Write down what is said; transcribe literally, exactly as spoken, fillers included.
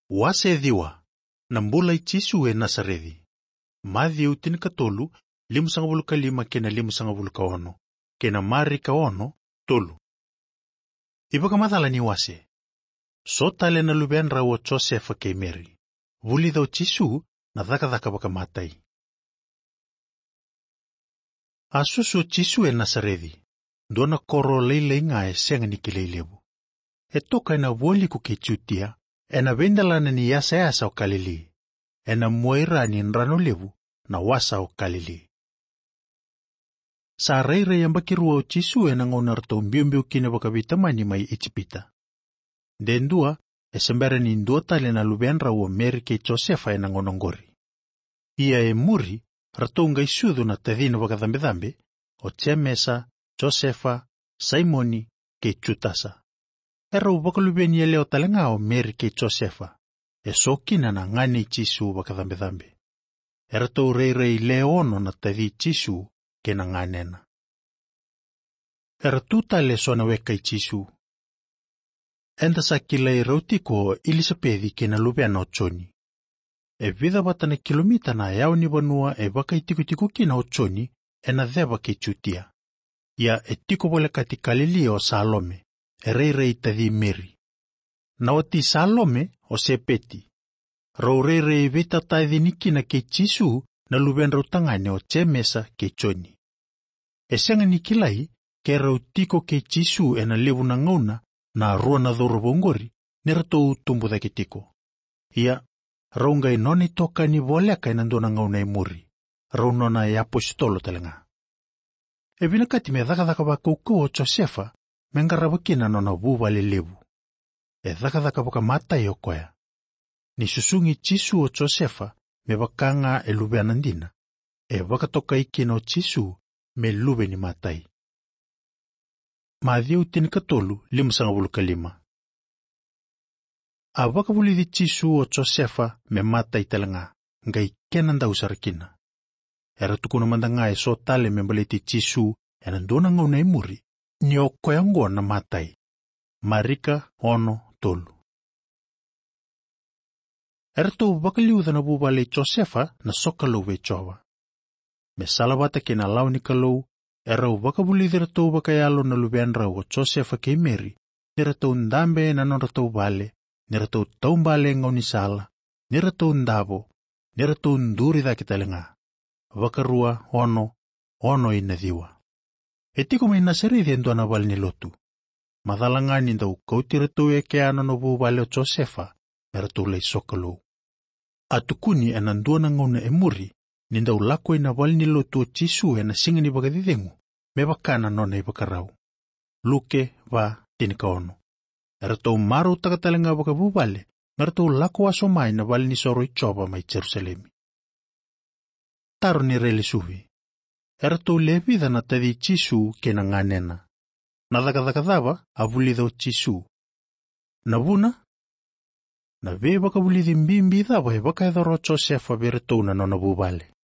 Wase ciwa. Na bula i Jisu e Nasareci. Maciu tinikatolu, limasagavulu ka lima kei na limasagavulu ka ono, kei na Marika ono, tolu. iVakamacala ni wase. So tale na luvedrau o Josefa kei Meri. Vulica o Jisu na cakacaka vakamatai. A susu o Jisu e Nasareci, dua na koro lailai ga e sega ni kilai levu. E toka ena vualiku kei Jutia, ena veidelana ni yasayasa o Kalili, ena muaira ni drano levu, na wasa o Kalili. Sa rairai yabaki rua o Jisu ena gauna ratou biubiu kina vakaveitamani mai Ijipita. De dua, e se bera ni dua tale na luvedrau o Meri kei Josefa ena gauna oqori. Ia e muri, ratou qai sucu na tacina vakacabecabe, o Jemesa, Josefa, Saimoni, kei Jutasa. Erau vakaluveni yalewa tale ga o Meri kei Josefa, e so kina na gane i Jisu vakacabecabe. Eratou rairai le ono na taci Jisu kei na ganena. Era tu tale e so na weka i Jisu. Eda sa kilai rau tiko o Ilisapeci kei na luvena o Joni. E vica vata na kilomita na yawa ni vanua e vakaitikotiko kina o Joni, ena ceva kei Jutia. Ia e tiko volekati Kalili o Salome, e rairai taci Meri. Na wati Salome o Sepeti. Rau rairai veitatacini kina kei Jisu na luvedrau tagane o Jemesa kei Joni. E sega ni kilai ke rau tiko kei Jisu ena levu na gauna na rua na cauravou oqori ni ratou tubu cake tiko. Ia, rau qai nona itokani voleka ena dua na gauna e muri, rau nona iapositolo tale ga. E vinakati me cakacaka vakaukauwa o Josefa me qarava kina na nona vuvale levu. E cakacaka vakamatai o koya. Ni susugi Jisu o Josefa me vaka ga e luvena dina, e vakatokai kina o Jisu me luve ni matai. Maciu tinikatolu, limasagavulu ka lima. A vakavulici Jisu o Josefa me matai tale ga, qai kenadau sara kina. Era tukuna mada ga e so tale me baleti Jisu ena dua na gauna e muri, ni o koya oqo na matai. Marika ono, tolu. Eratou vakaliuca na vuvale i Josefa na sokalou vei Jiova. Me salavata kei na lawa ni Kalou, erau vakavulici iratou vakayalo na luvedrau o Josefa kei Meri, ni ratou dabe ena nodratou vale, ni ratou taubale e gaunisala, ni ratou davo, ni ratou duri cake tale ga. Vakarua ono, ono ina ciwa. E tiko mai Nasareci e dua na vale ni lotu. Macala ga ni dau kauti iratou e kea na nona vuvale o Josefa, me ratou lai sokalou. A tukuni ena dua na gauna e muri, ni dau lako ina vale ni lotu o Jisu ena siga ni vakacecegu, me vaka na nona ivakarau. Luke va, tinikaono. Eratou marautaka tale ga vakavuvale, me ratou lako wasoma ina vale ni soro i Jiova mai Jerusalemi. Taro ni railesuvi. Eratou le vica na taci Jisu kei na ganena. Na cakacaka cava a vulica o Jisu? Na vuna? Na veivakavulici bibi cava e vakayacora o Josefa vei iratou na nona vuvale?